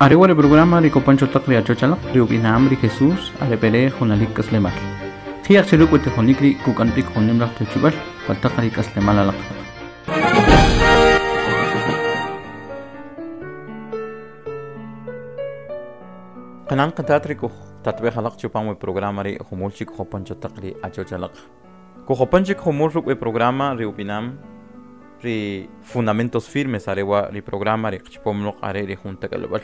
Are wa ri programa ri kopan cho taq ri achoch alaq ri ub'inam ri Jesús are b'ere junalik k'aslemal. Ji'aj che ruk' we tijonik ri' kuk'an b'ik jun nim laj tewchib'al pa taq ri k'aslemal alaq. Qanan qatat ri kujtatb'ej alaq chupam we programa ri' jumul chik kujopan cho taq ri achoch alaq. Kujopan chik jumul ruk' we programa ri ub'inam ri Fundamentos Firmes are wa' ri programa ri qchapom loq are ri jun tak'alb'al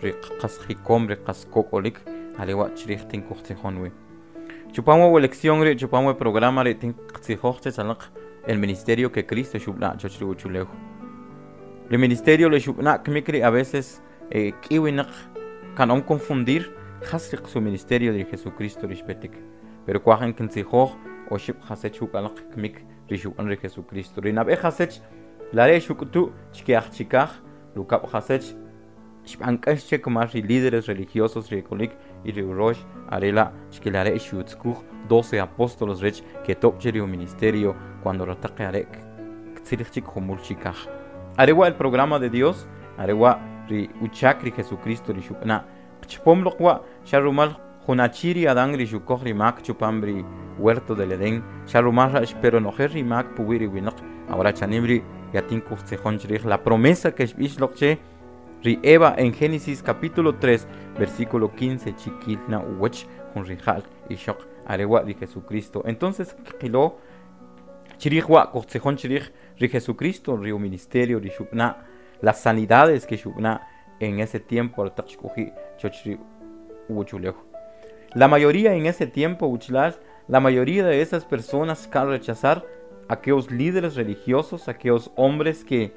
ri qas jikom ri qas kok'olik are wa' chrij tin kujtzijon wi. Chupam wa' we lección ri' chupam we programa ri' tin qtzijoj chech alaq el ministerio que Cristo xub'na' choch ri uwachulew. Ri ministerio le xub'na' kmik ri' a veces e k'i winaq ka'nom confundir jas ri su ministerio ri Jesucristo ri xpetik. Pero kwaj in kintzijoj oxib' jasech ruk' alaq kmik ri xub'an ri Jesucristo. Ri nab'e jasech lare xuk'utu chke aj chikaj, rukab' jasech xb'an k'ax che kumal ri líderes religiosos ri e k'olik y ri urox are la' chke lare xutzkuj 12 apóstoles rech ketob' che ri ministerio cuando rataq are ktzilij chik jumul chikaj. Are wa' el programa de Dios, are wa' ri uchak ri Jesucristo ri xub'ana'. Qchapom loq wa' xa rumal jun achi ri Adán ri xukoj ri mak chupam ri huerto del Edén, xa rumal ra' xpe ronojel ri mak puwi' ri winaq. Ahora chanim ri' yatin kujtzijon chrij la promesa que xb'ix loq che ri Eva en Génesis capítulo 3, versículo 15, chikil na uwach jun rija'l ixoq are wa' ri Jesucristo. Entonces kqilo chrij wa' kujtzijon chrij ri Jesucristo, ri ministerio ri xub'ana', las sanidades que xub'ana' en ese tiempo aretaq xk'oji' choch ri uwachulew. La mayoría en ese tiempo, wachalal, la mayoría de esas personas kan rechazar aquellos líderes religiosos, aquellos hombres que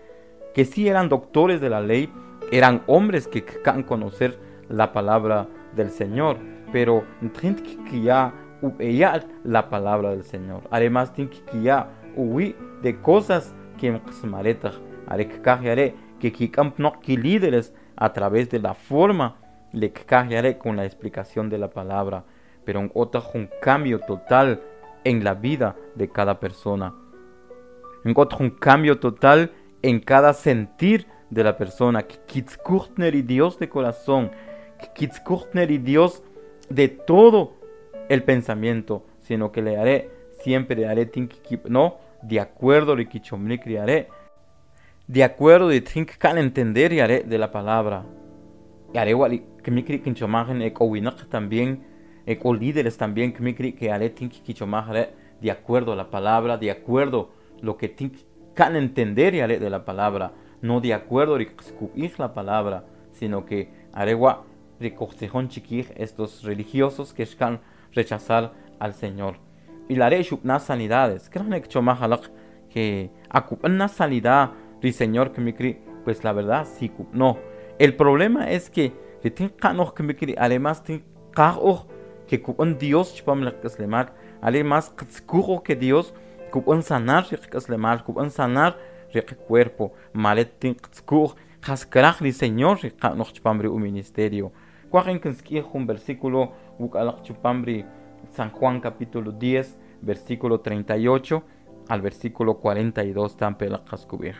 sí eran doctores de la ley, eran hombres que kan conocer la palabra del Señor, pero tint kiya ub'eyal la palabra del Señor. Además, tint kiya uwi de cosas que mqsmaretaj, are kkaj yare que kik'am pnoq ki líderes a través de la forma le kkaj yare con la explicación de la palabra, pero nk'otaj un cambio total en la vida de cada persona. Nk'otaj un cambio total en cada sentir de la persona. Kitzkuchtner y Dios de corazón, kitzkuchtner y Dios de todo el pensamiento, sino que le haré, siempre le haré no, de acuerdo le kichomnik le haré, de acuerdo de tink kan entender y haré de la palabra. Y haré wali kmikri kinchomajen ekowinaq también, eko líderes también kmikri que haré tink kichomajare de acuerdo a la palabra, de acuerdo lo que tink kan entender y haré de la palabra, no de acuerdo la palabra, sino que haré wa rikojtzijon chiquij estos religiosos que están rechazar al Señor. Y la haré xubna sanidades. Creo que chomajalaq que acupna sanidad ri Señor que me cri, pues la verdad sí no. El problema es que ri tin qanoj que me cri, además tin qajoj que cupon Dios chupam la kaslemal, además qtzkujo que Dios cupon sanar ri kaslemal, cupon sanar ri cuerpo, malet tin qtzkuj jaskraj ri Señor ri qanoj chupam ri u ministerio. Cuajen kinskij un versículo wukalaq chupam ri San Juan capítulo 10, versículo 38 al versículo 42 tampe la qaskub'ij.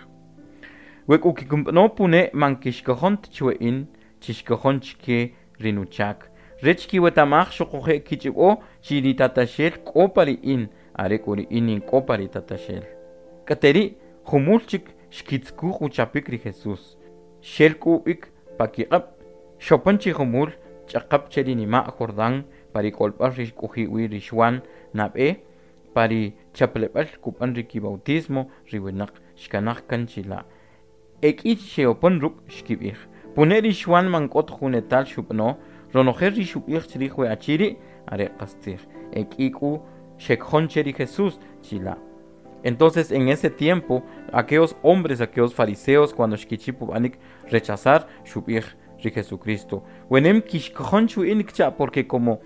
Wek ukikump'no pune man kixkojon chwe'in chixkojon chke rinuchak. Rech kiwetamaj xuquje' kich'ib'o chi ri tataxel k'o pa ri in, are k'u ri in in k'o pa ri tataxel. K'ateri' jumul chik xkitzkuj uchapik ri Jesús. Xel k'u ub'ik pa kiq'ab', xopan chi jumul ch'aqap che ri nima' Jordán pa ri k'olb'al ri xk'oji' wi ri Xuan nab'e pa ri chapleb'al kub'an ri kibautismo ri winaq xkanaj kan chila'. Ek'i xe'opan ruk' xkib'ij. Pune ri Xuan man k'ot jun etal xub'ano, ronojel ri xub'ij chrij we achi ri' are qastzij. Ek'i k'u xekjon che ri Jesús chila'. Entonces, en ese tiempo, aquellos hombres, aquellos fariseos, cuando xkichip ub'anik rechazar xub'ij ri Jesucristo. Wenem kixkojon chu'in kcha, porque como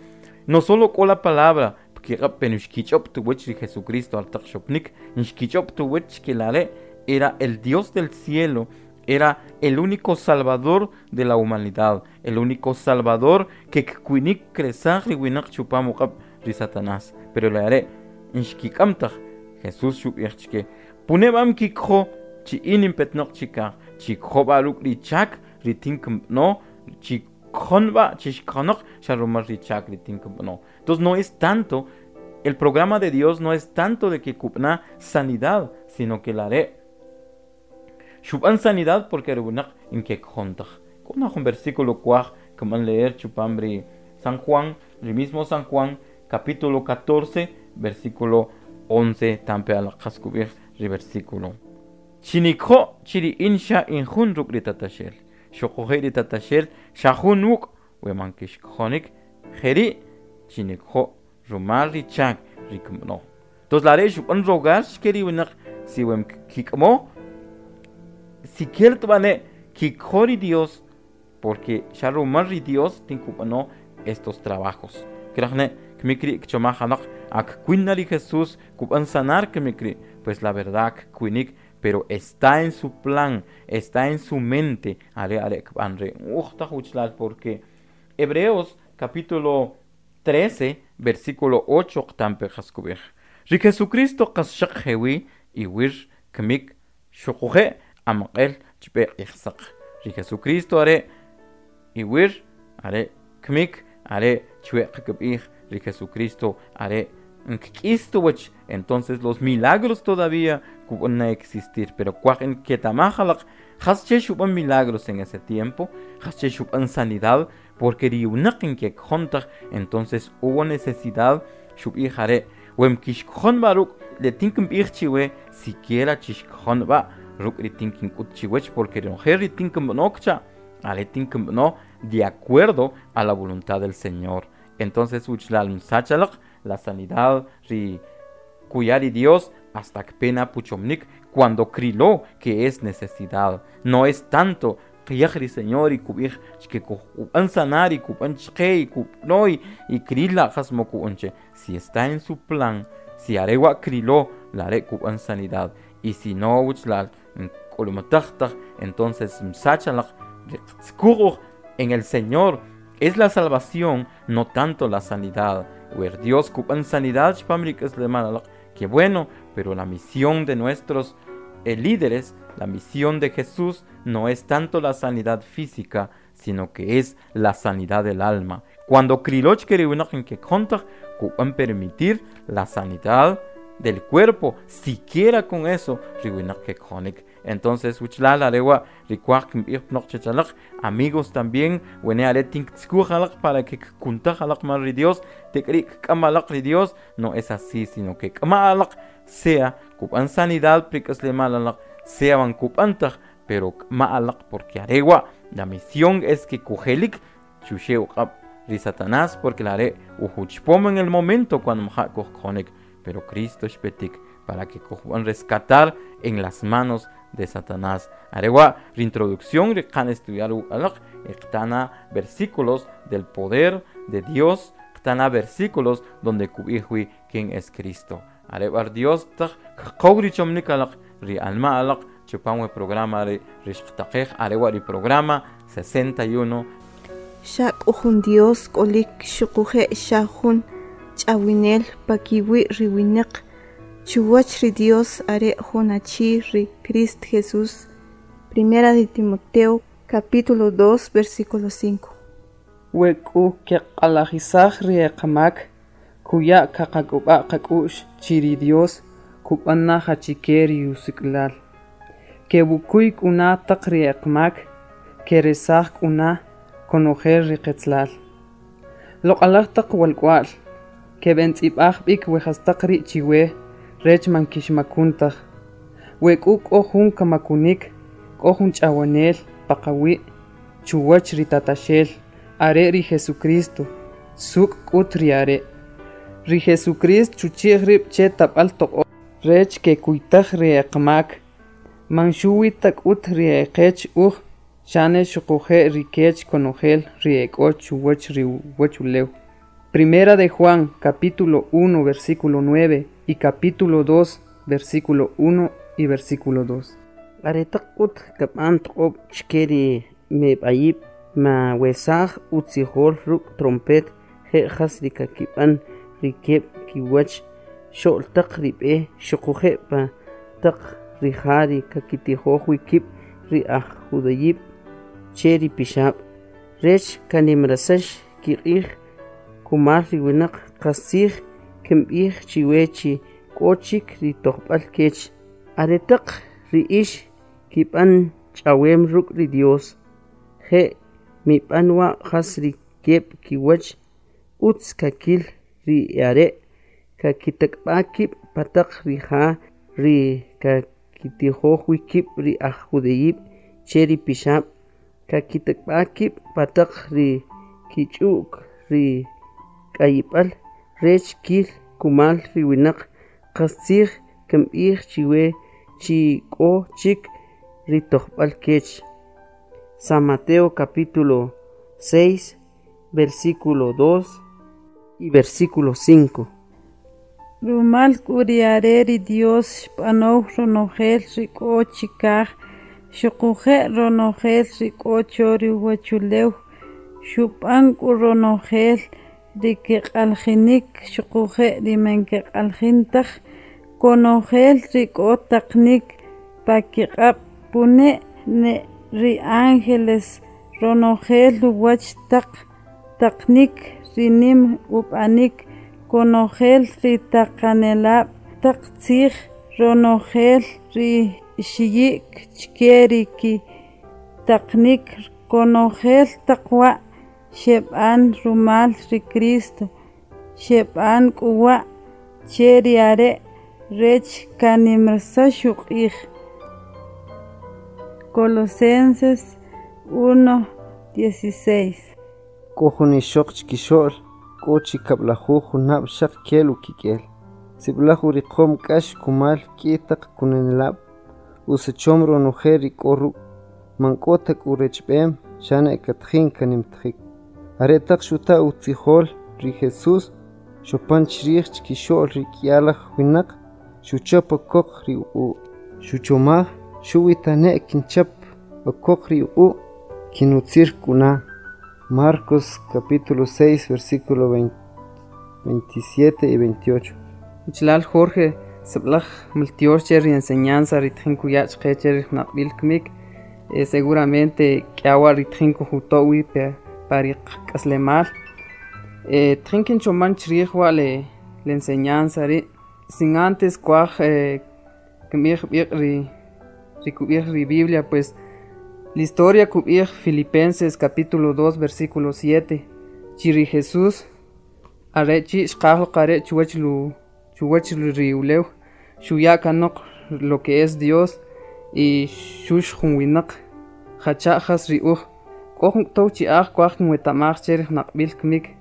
no solo k'o la palabra, pero xkich'ob tuwach ri Jesucristo al taq xopnik, xkich'ob tuwach que la re era el Dios del cielo, era el único salvador de la humanidad, el único salvador que kkuinik kresaj ri winaq chupam uq'ab' ri Satanás. Pero le haré xkik'amtaj Jesús xub'ij chke, puneb'am kikjo chi in inpetnoq chikaj, chikjo b'a ruk' ri chak ri tin no Chikjonba, chishkonok, sharumar richak no. Entonces no es tanto, el programa de Dios no es tanto de que kupna sanidad, sino que la haré. Shuban sanidad porque runak in que kjontaj. Con un versículo cuaj que van leer chupambri San Juan, el mismo San Juan, capítulo 14, versículo 11, tampe al qascubir ri versículo. Chinikjo chiri insha injun ruk ri tatashel. Xoqoje ri tatashel shajun wuk weman kishkjonik jeri chinikjo rumal ri chak ri kmno. Entonces la re shuban rogar shkeri winak si wem kikmo si bane kikjori Dios porque sharumar ri Dios tinkupano estos trabajos. Krajne kmikri kchomajanak ak kuinari Jesús kupan sanar kmikri, pues la verdad kuinik, pero está en su plan, está en su mente. Are are kbanre ujta uchlal, porque Hebreos capítulo 13 versículo 8 qtampe jaskubij. Ri Jesucristo qasshaq jewi iwir kmik shuquje amqel chpe ixsaq. Ri Jesucristo are iwir are kmik are chwe qkbij ri Jesucristo are nk'istuwach. Entonces los milagros todavía van a existir, pero cuaj que tamajalaq hasche shuban milagros en ese tiempo, hasche shuban sanidad, porque riunaq en que jontaj, entonces hubo necesidad shubij are wem kishkjon baruk le tinkim chiwe siquiera chishkjon ba ruk ri tinkim kut chiwech, porque ri tinkim nokcha ale tinkim no de acuerdo a la voluntad del Señor. Entonces uchlal msachalaq la sanidad ri cuyari Dios hasta que pena puchomnik cuando criló que es necesidad. No es tanto qiyajri Señor y kubij que kuban sanar y kuban chke y kubnoi y krila jasmo kuonche. Si está en su plan, si arewa criló, la are kuban sanidad. Y si no uchlal kolumatajtaj, entonces msachalaq en el Señor es la salvación, no tanto la sanidad. Wer Dios kuban sanidad, qué bueno, pero la misión de nuestros líderes, la misión de Jesús no es tanto la sanidad física, sino que es la sanidad del alma. Cuando kriloch que kontaj, kuban permitir la sanidad del cuerpo, siquiera con eso, que. Entonces, uchlal arewa rikwak amigos también, wene are tink para que kuntajalak mar Dios, te krik kamalak Dios, no es así, sino que kamalak sea kupan sanidad prikasle malalak, sea van kupantaj, pero maalak porque arewa, la misión es que kujelik chushe uqab ri Satanás, porque la are ujuchpom en el momento cuando mja pero Cristo shpetik para que kujuan rescatar en las manos de Satanás. Arewa, reintroducción, rikan estudiar alaq, iqtana versículos del poder de Dios, iqtana versículos donde kubijwi quién es Cristo. Arewa Dios taj kqogri chomnik alaq, ri alma alaq, chupanwe programa ri rixqtaqej, arewa ri programa 61. Xak ujun Dios k'olik xuquje' xa jun ch'awinel pakiwi riwinaq chuwach ri Dios are jun achi ri Crist Jesús. Primera de Timoteo capítulo 2 versículo 5. We k'u keq'alajisaj ri eqamak kuya kaqak'ub'a qak'u'x chiri Dios kub'an jachike ri usik'lal. Kewukuy k'una taq ri eqmak keresaj k'una konojel ri qetzlal. Loq'alaj taq walk'wa'l keb'entz'ib'aj b'ik we jastaq ri' chiwe rech man kixmakuntaj. We k'u k'o jun kamakunik k'o jun ch'awanel paqawi' chuwach ri tataxel are ri Jesucristo suk' k'ut ri are'. Ri Jesucristo chuchi'j rib' che tab'al toq'o rech kekuytaj ri eqmak man xuwi ta k'ut ri eqech uj xane xuquje' ri kech konojel ri ek'o chuwach ri uwachulew. Primera de Juan, capítulo 1, versículo 9 y capítulo 2, versículo 1 y versículo 2. Aretaq k'ut kab'an toq'ob' chke ri meb'ayib' ma wesaj utzijol ruk' trompet je' jas ri kakib'an ri keb' kiwach xo'l taq ri b'e xuquje' pa taq ri ja ri kakitijoj wi kib' ri aj judayib' che ri pixab' Rech kanimrasax kiq'ij kumal ri winaq qastzij kinb'ij chiwe chi k'o chik ri tojb'al kech. Aretaq ri ix kib'an ch'awem ruk' ri Dios, je' mib'an wa' jas ri keb' kiwach utz kakil ri e'are' kakitak'b'a kib' pa taq ri ja ri kakitijoj wi kib' ri aj judeyib' che ri pixab', kakitak'b'a kib' pa taq ri kich'u'k ri k'ayib'al rech kil kumal ri winaq qastzij kinb'ij chiwe chi k'o chik ri tojb'al kech. San Mateo capítulo 6, versículo 2 y versículo 5. Rumal k'u ri are ri Dios xb'anow ronojel ri k'o chikaj, xuquje' ronojel ri k'o cho ri uwachulew, xub'an k'u ronojel ri keq'aljinik xuquje' ri man keq'aljin taj, konojel ri k'o taqnik pa kiq'ab' pune ne ri ángeles ronojel uwach taq taqnik ri nim ub'anik konojel ri taqanelab' taq tzij ronojel ri xiyik chke ri ki taqnik konojel taq wa' xeb'an rumal ri Cristo xeb'an k'u wa' che ri are' rech kanimrasax uq'ij. Colosenses 1:16. K'o jun ixoq chkixo'l k'o chi kab'lajuj junab' xaq kel ukik'el. Sib'alaj uriqom k'ax kumal k'i taq kunanelab', usachom ronojel ri k'o ruk', man k'o ta k'u rechb'em, xane katjin kanimtjik. Aretaq xuta utzijol ri Jesús, xopan chrij chkixo'l ri k'yalaj winaq, xuchap okoq ri uq'u'. Xuchomaj xuwi tane' kinchap okoq ri uq'u', kinutzir k'una. Marcos capítulo 6, versículo 27 y 28. Uchlal Jorge, sib'laj maltiox che ri enseñanza ritjin kuya' chqe che ri jnaqb'il kmik, seguramente k'awa ritjin kujuto'wi pa ri qak'aslemal. Tjin kinchoman chrij wa' le enseñanza ri', sin antes kuaj kinb'ij b'iq' ri kub'ij ri Biblia, pues la historia kub'ij Filipenses capítulo 2 versículo 7, chi ri Jesús are chi' xqaj qare' chuwach lu chuwach ri ulew, xuya' kanoq lo que es Dios y xux jun winaq jacha' jas ri uj. K'o jun k'tow chi'aj kuaj kinwetamaj che ri jnaqb'il kmik.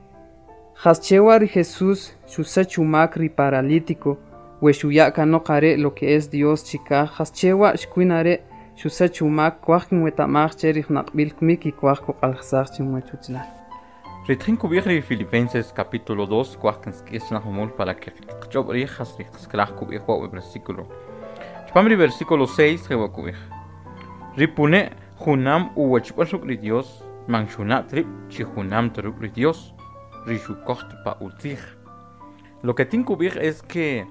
Jas chewa ri Jesús xusach umak ri paralítico, we xuya' kanoq are' lo que es Dios chikaj, jas chewa xkwin are' xusach umak kuaj kinwetamaj che ri jnaqb'il kmik y kuaj kuq'aljsaj chinwach uchlal. Ritjin kub'ij ri Filipenses capítulo 2 kuaj kinsk'is na jumul para que qch'ob' rij jas ri qskraj kub'ij wa' we versículo. Chpam ri versículo 6 jewa kub'ij. Ri pune' junam uwachb'al ruk' ri Dios, man xuna' trib' chi junam ta ruk' ri Dios, ri xukoj pa utzij. Lo que tin kub'ij es que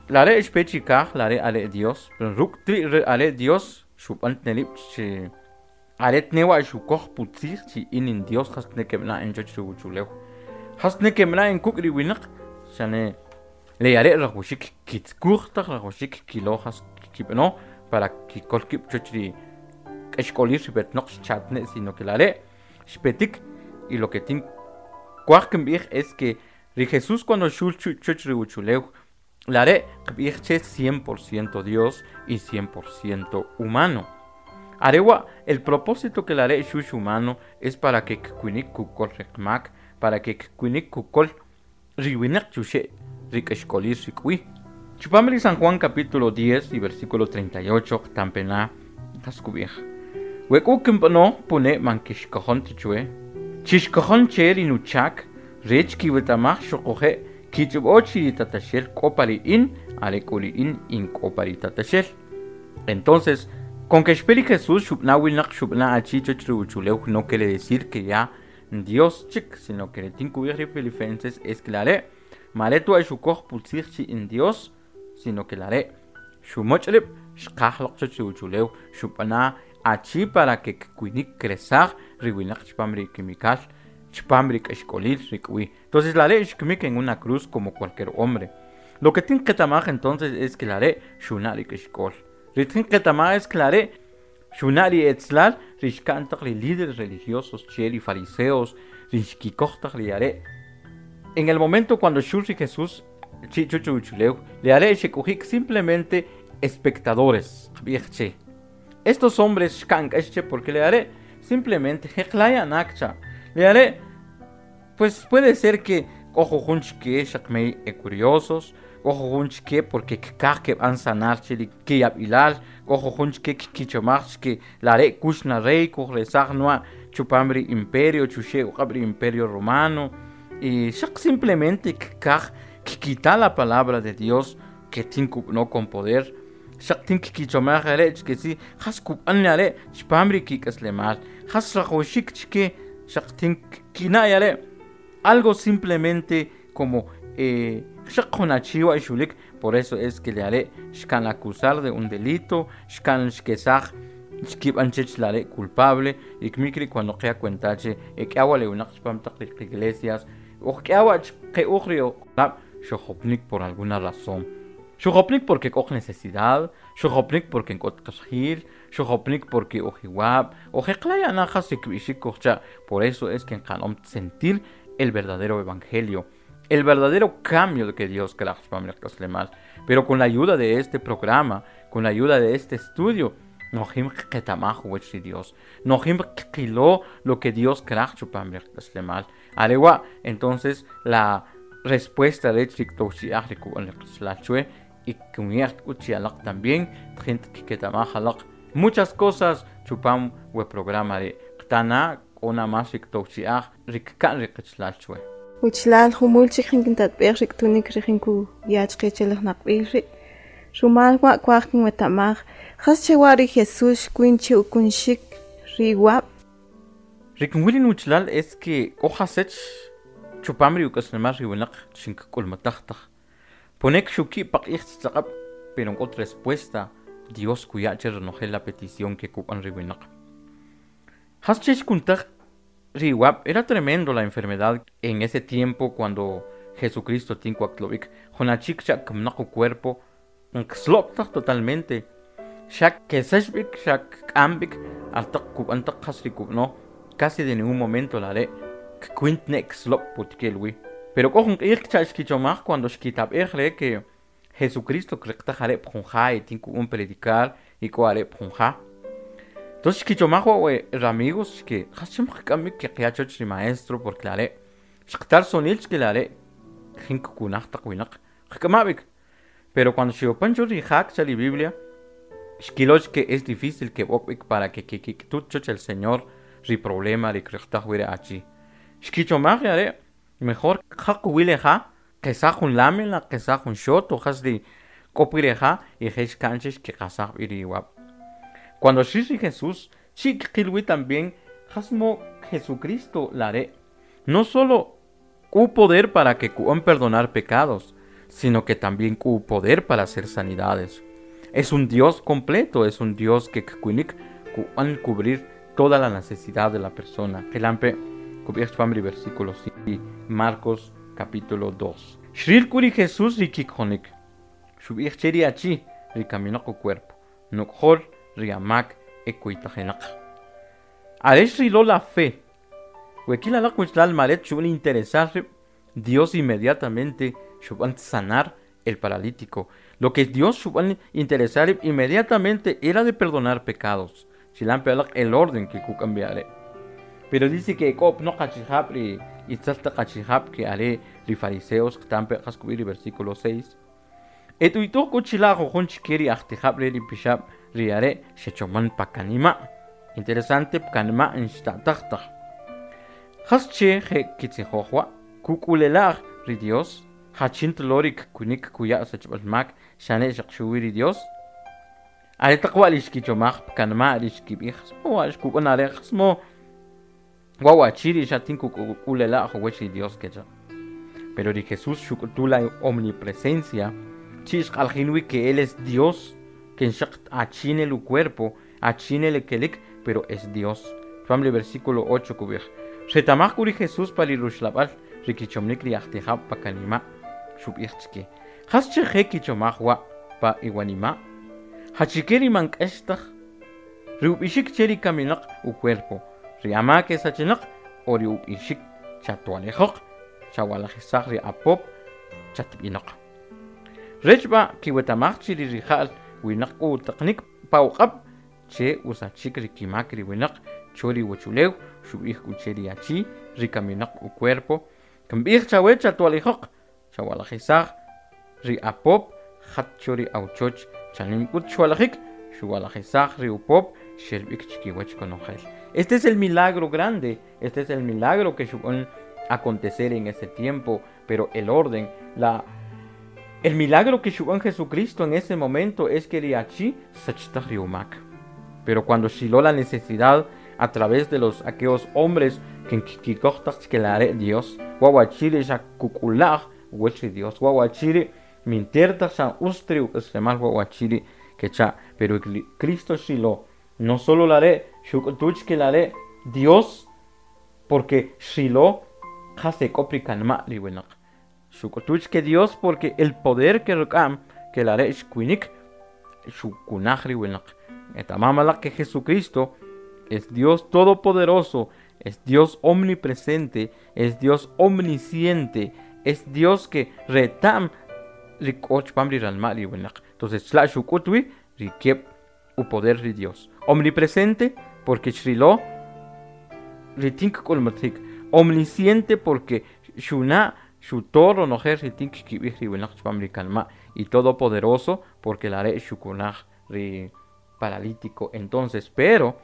la re xpe chikaj, la re are Dios, pero ruk' tri re are Dios xub'an tnelib' chi are tnewa xukoj putzij chi in in Dios jas tnekeb'na en choch ri uchulew. Jas tnekeb'na en kuk' ri winaq, xane le are rajuxik kitzkuj taq rajuxik kilo jas kib'ano para kikol kib' choch ri k'exk'olir xib'etnoq xchatne, sino que la re xpetik. Y lo que tin kuaj kinb'ij es que ri Jesús cuando xul choch ri uchulew, la re qb'ij che 100% Dios y 100% humano. Arewa, el propósito que la re xux humano es para que kkuinik kukol riqmak, para que kkuinik kukol riwinaq chuxe rik'exk'olir rik'wi. Chupam ri San Juan capítulo 10 y versículo 38 qtampena qas kub'ij. We k'u kinb'ano pune man kixkojon ta chwe, chixkojon che ri nuchak rech kiwetamaj xuquje' kich'ub'o chi ri tataxel k'o pa ri in, are k'u ri in in k'o pa ri tataxel. Entonces, con que xpe ri Jesús xub'na winaq xub'na achi choch ri uchulew, no quiere decir que ya Dios chik, sino que tin kub'ij ri Filipenses es que la re mare tu xukoj putzij chi in Dios, sino que la re xumoch' rib' xqaj loq choch ri uchulew, xub'ana achi para que kkuinik kresaj ri winaq chpam ri kimikal chpam ri k'axk'olil ri k'wi. Entonces lare' xkmik en una cruz como cualquier hombre. Lo que tin qetamaj entonces es que lare' xuna' ri k'axk'ol. Ri tin qetamaj es que lare' xuna' ri etzlal ri xka'n taq ri líderes religiosos che ri fariseos ri xkikoj taq ri are'. En el momento cuando xul ri Jesús chi' chuch uwachulew, le are' xek'oji'k simplemente espectadores qb'ij che. Estos hombres xka'n k'ax che porque le are' simplemente jeqlaya'nak cha. Le are' pues puede ser que k'o jujun chke xaq mey e curiosos, k'o jujun chke porque kkaj keb'an sanar che ri kiyab'ilal, k'o jujun chke kkichomaj chke lare' kux na rey kujresaj nwa chupam ri imperio chuxe' uq'ab' ri imperio romano y xaq simplemente kkaj kkita la palabra de Dios que tin kub'ano con poder, xaq tin kkichomaj are' chke si jas kub'an are' chpam ri kik'aslemal, jas rajawxik chke xaq tin kina' are' algo simplemente como xaq jun achi wa xulik. Por eso es que le are' xkan acusar de un delito, xkan xkesaj xkib'an chech lare' culpable y kmik ri' cuando qya cuenta che ek'awa le winaq chpam taq ri iglesias uj k'awa qe'uj ri uq'ab' xojopnik por alguna razón. Xojopnik porque k'o necesidad, xojopnik porque k'o qajil, xojopnik porque ujiwab', ujeqlaya'na jas kb'ixik kujcha'. Por eso es que nqa'nom sentir el verdadero evangelio, el verdadero cambio que Dios kraj chpam ri qak'aslemal. Pero con la ayuda de este programa, con la ayuda de este estudio, nojim qetamaj uwach ri Dios, nojim qilo lo que Dios kraj chupam ri qak'aslemal. Arewa, entonces la respuesta de ri towchi'aj ri kub'an ri qachalal chwe y kumyaj k'ut chi alaq también tjin kketamaj alaq muchas cosas chupam we programa ri' qtana k'o mas ri towchi'aj ri kka'n ri qachalal chwe. Wichlal jumul chik jinkintatb'ej ri k'tunik ri jinku yach qichelaj naqb'ij ri'. Rumal wa kwaj kinwetamaj jas che wa ri Jesús xkwin che ukunxik ri wab'. Ri kinwil wuchlal es que k'o jasech chupam ri uk'aslemal ri winaq xink'ulmataj taj. Ponek xuki paq'ij tzaq'ab', pero k'ot respuesta Dios kuya' che renojel la petición que kub'an ri winaq. Jas che xkuntaj ri wab', era tremendo la enfermedad en ese tiempo cuando Jesucristo tinkuaktlovik junachik cha kamnaq cuerpo nkslop totalmente. Xak kesexb'ik xak k'amb'ik altaq kub'an taq jas ri kub'no casi de ningún momento la re kkwint ne kslop putkelwi. Pero k'o jun q'ij cha xkichomaj cuando xkitab'ej re que Jesucristo kriqtaj are' pjunja y tin kub'an predicar y k'o are' pjunja. Entonces xkichomaj wa we amigos que jas chim qk'amb'ik que qyachoch ri maestro porque la re xqtar sonil chke la re jin kkunaj taq winaq qk'amab'ik. Pero cuando xiopan cho ri jak cha ri Biblia xkiloch que es difícil que b'okb'ik para que kik'tut choch el Señor ri problema ri kriqtaj wi ri achi. Xkichomaj are' mejor qaq wileja qesaj jun lámina qesaj jun xoto jas ri k'o pireja y jex kanche xkiqasaj b'i ri wab'. Cuando xix ri Jesús chi' kqilwi también jasmo Jesucristo la re' no solo k'u poder para que ku'an perdonar pecados, sino que también k'u poder para hacer sanidades. Es un Dios completo, es un Dios que kkuinik ku'an cubrir toda la necesidad de la persona. Qilampe kub'ij chpam ri versículo 5, Marcos capítulo 2. Xril k'u ri Jesús ri kikjonik. Xub'ij che ri achi ri kaminaq cuerpo. Nuk'jol ri amak ekuytajinaq. Are xrilo la fe. Wekil alaq wichlal maret xub'an interesar Dios inmediatamente xub'an sanar el paralítico. Lo que Dios xub'an interesar inmediatamente era de perdonar pecados. Chilampe alaq el orden que kuk'ambiare. Pero dice que k'o no qachijab ri itzel taq qachijab que are ri fariseos qtampe qas kub'ij ri versículo 6. Etuytuj k'u chila' jujun chke ri ajtijab' re ri pixab' ri are' xechoman pakanima'. Interesante pakanima' nxta'taj taj. Jas che je kitzijoj wa' kuk'ulela'j ri Dios jachin tlo ri kkunik kuya' sachb'al mak xane' xaq xuwi ri Dios. Are taq wa' ri xkichomaj pakanima' ri xkib'ij jasmo wa' xkub'an are' jasmo wa wachi ri xatin kuk'ulela'j uwach ri Dios kecha. Pero ri Jesús xuk'utu la omnipresencia chi xq'aljin wi que él es Dios que nxaq achin el cuerpo Achine le kelik, pero es Dios. Chupam ri versículo 8 kub'ij Xretamaj k'u ri Jesús pa ri ruxlab'al ri kichomnik ri ajtijab' pa kanima' xub'ij chike Jas che je kichomaj wa' pa iwanima' Jachike ri man k'ex taj ri ub'ixik che ri kaminaq ucuerpo ri amak esachinaq o ri ub'ixik chatwalijoq chawalajisaj ri apop chatb'inoq Rech b'a kiwetamaj chi ri rija'l winaq k'o utaqnik pa uq'ab' che usachik ri kimak ri winaq cho ri uwachulew xub'ij k'u che ri achi ri kaminaq ucuerpo Kimb'ij chawe chatwalijoq chawalajisaj ri apop jat cho ri awchoch chanim k'ut xwalajik xuwalajisaj ri upop xelb'ik chikiwach konojel. Este es el milagro grande, este es el milagro que xub'an acontecer en ese tiempo, pero el orden, el milagro que xub'an Jesucristo en ese momento es que ri achi sachtaj ri umak. Pero cuando xilo la necesidad a través de los aquellos hombres que kikoj taq che la are Dios, wawachiri xa kukulaj uwach ri Dios, wawachiri minter taq xa ustri uk'aslemal wawachiri kecha, pero Cristo xilo no solo la are xuk'utuch que la are Dios, porque xilo qas ek'o pri kanma' ri winaq. Xuk'utuch que Dios porque el poder que ruk'am que la are xkuinik xukunaj ri winaq. Etamamalaq que Jesucristo es Dios todopoderoso, es Dios omnipresente, es Dios omnisciente, es Dios que retam ri k'o chupam ri ranma' ri winaq. Entonces chla' xuk'ut wi ri kieb' upoder ri Dios. Omnipresente porque xrilo ri tin kk'ulmatik. Omnisciente porque xuna' xuto ronojel ri tin kkib'ij ri winaq chupam ri kanma'. Y todopoderoso porque la are' xukunaj ri paralítico. Entonces, pero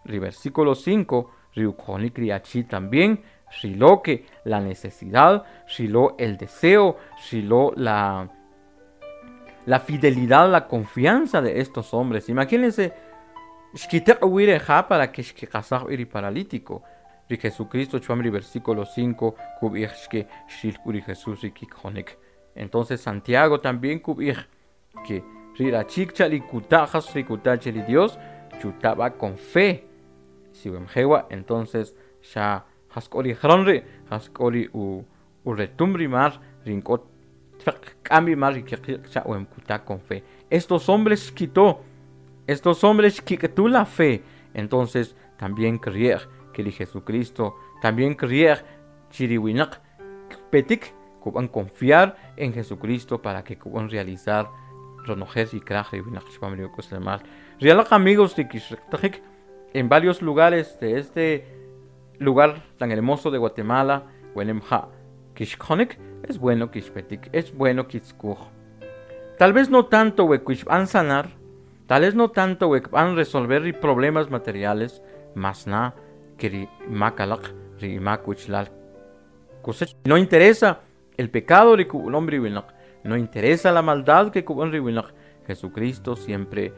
ri versículo 5 ri ukjonik ri achi también xrilo que la necesidad, xrilo el deseo, xrilo la fidelidad, la confianza de estos hombres. Imagínense, xkiteq uwi reja para que xkiqasaj ri paralítico. Ri Jesucristo chupam ri versículo 5 kub'ij xke xril k'u ri Jesús ri kikjonik. Entonces Santiago también kub'ij que ri rachik cha ri kuta jas ri kuta che ri Dios chutaba con fe. Si wemjewa, entonces xa jask'o ri jron ri, jask'o ri u retum ri mar rink'ot k'am ri mar ri kiqiq cha wem kuta con fe. Estos hombres quitó, estos hombres quitó la fe. Entonces también creer que ri Jesucristo, también creer chiriwinaq petik kuban confiar en Jesucristo para que kuban realizar ronojel y kraj riwinaq chupam ri uk'aslemal. Rialaq amigos ri kixriqtajik en varios lugares de este lugar tan hermoso de Guatemala, Wenemja, Kishkonik, es bueno kishpetik, es bueno kitskuj. Tal vez no tanto wekuishban sanar, tal vez no tanto wekban resolver ri problemas materiales, mas na que ri makalaq, ri makuchlal. No interesa el pecado ri kub'an ri winaq, no interesa la maldad que kub'an ri winaq. Jesucristo siempre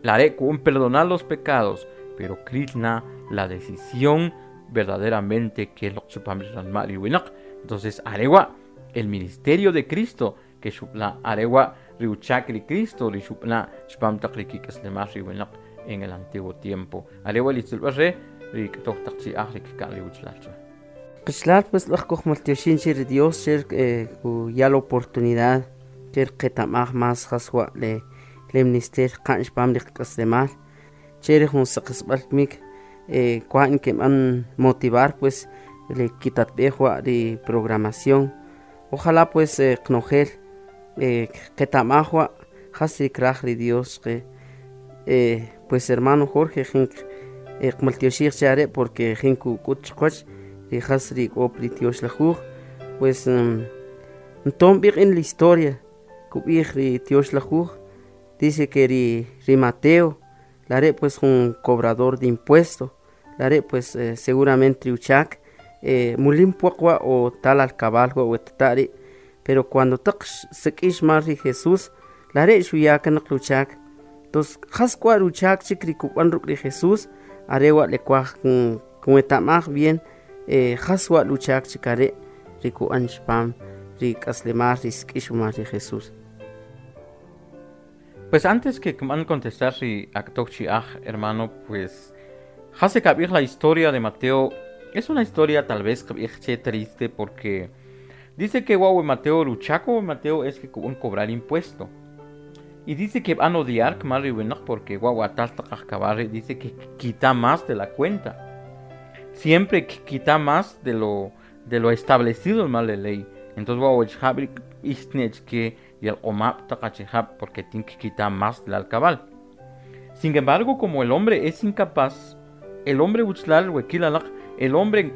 la haré con perdonar los pecados, pero krishna la decisión verdaderamente que lo chupam ranma ri winaq. Entonces arewa el ministerio de Cristo que xupla arewa riuchak ri Cristo ri xupla chupam taq ri kik'aslemal ri winaq en el antiguo tiempo. Arewa li tzulb'ar ri k'toj taq chi'aj ri kik'an ri uchlal chwa. Qichlal pues laj kujmaltioxin che ri Dios cher ya la oportunidad cher qetamaj mas jaswa le minister qa'n chpam ri qk'aslemal che ri jun saqisb'al mik kuan que man motivar pues le kitatb'ej wa ri programación. Ojalá pues qnojel qetamaj wa jas ri kraj ri Dios que pues hermano Jorge jin qmaltioxij che are porque jin kuk'ut chqwach ri jas ri k'o pri tioxlajuj pues nton b'iq en la historia kub'ij ri tioxlajuj dice que ri Mateo la are pues un cobrador de impuesto la are pues seguramente uchak mulim puaq wa o tal alcabal wa wetari pero cuando taq sak'ix mar ri Jesús la are xuya kanaq uchak entonces jas kwa uchak chik ri kub'an ruk' ri Jesús are wa le kwaj kunwetamaj bien jas wa luchak chik are ri ku'an chpam ri k'aslemal ri sk'ix umar ri Jesús. Pues antes que van contestar si aj, hermano, pues Jase Kabir, la historia de Mateo es una historia tal vez triste porque dice que guau Mateo luchaco Mateo es que cobrar impuesto. Y dice que van a odiar porque guau dice que quita más de la cuenta. Siempre quita más de lo establecido en la ley. Entonces guau que y el omap porque tiene que quitar más del alcabal. Sin embargo, como el hombre es incapaz, el hombre uchlal wekilalaq, el hombre en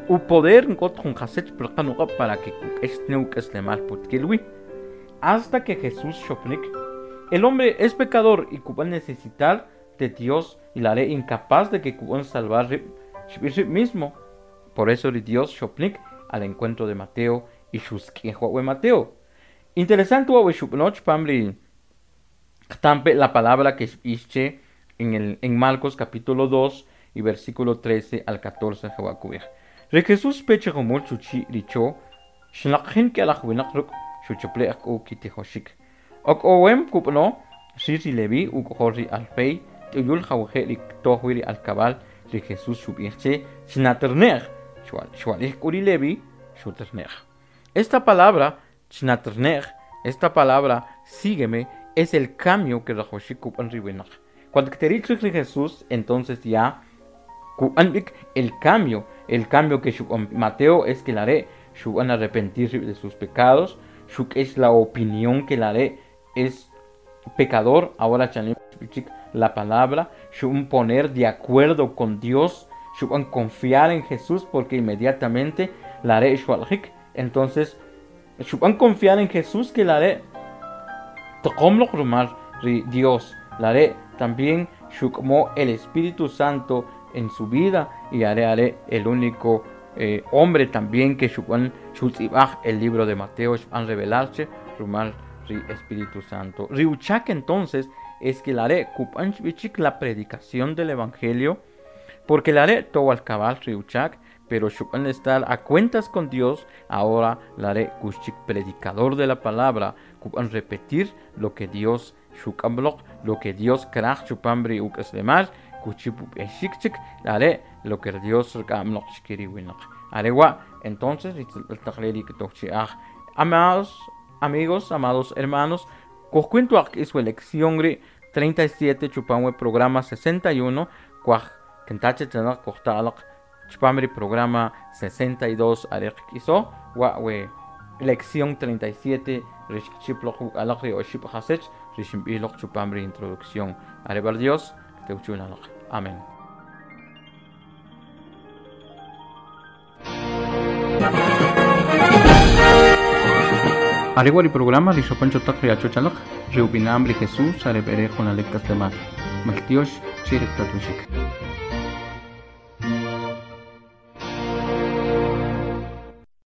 u poder en para que hasta que Jesús shopnik, el hombre es pecador y cuban necesitar de Dios y la haré incapaz de que cuban salvar mismo. Por eso Dios shopnik al encuentro de Mateo y Mateo. Interesante la palabra que ische en Marcos capítulo 2 y versículo 13 al 14 jawakubij. Re Jesús peche jumul chuchi richo, xnaqjin ke alaj winaq ruk' xuchuple u kitijoxik. Ok owem kupno, xir Levi uk'ojol ri Alfei, t'uyul jawje ri ktojwi ri alkabal ri Jesús xub'ij che xnaternej, xwalij k'u ri Levi xuternej. Esta palabra xnaternej, esta palabra sígueme, es el cambio que rajoxik kup'an ri winaq. Cuando te Jesús, entonces ya el cambio que Mateo es que la haré, van a arrepentir de sus pecados, es la opinión que la haré es pecador, ahora la palabra, poner de acuerdo con Dios, confiar en Jesús porque inmediatamente la haré, entonces confiar en Jesús que la haré, Dios, la haré también el Espíritu Santo en su vida y haré el único hombre también que el libro de Mateo han revelarse rumal ri Espíritu Santo. Riuchak entonces es que la haré la predicación del Evangelio porque la haré todo al cabal riuchak, pero shupan estar a cuentas con Dios, ahora la haré kushik predicador de la palabra, kupan repetir lo que Dios shukamblok, lo que Dios krach chupambri ukaslemar, kuchipu eshikchik, la haré lo que Dios kamlok shkiriwinok. Arewa, entonces, amados amigos, amados hermanos, cuento su elección 37 chupamwe programa 61, cuaj kentache chanak kohtalak chupamri programa 62 arek iso, wa we lección 37 rishchiplok alakri oship hasech rishimbilok chupamri introducción. Arebar Dios, te uchunalok. Amén. Areguari programa Rishopancho Takri Achochalak, Reupinamri Jesús, Arepere Jonalek Castemar, Maltiosh, Chirek Tatushik.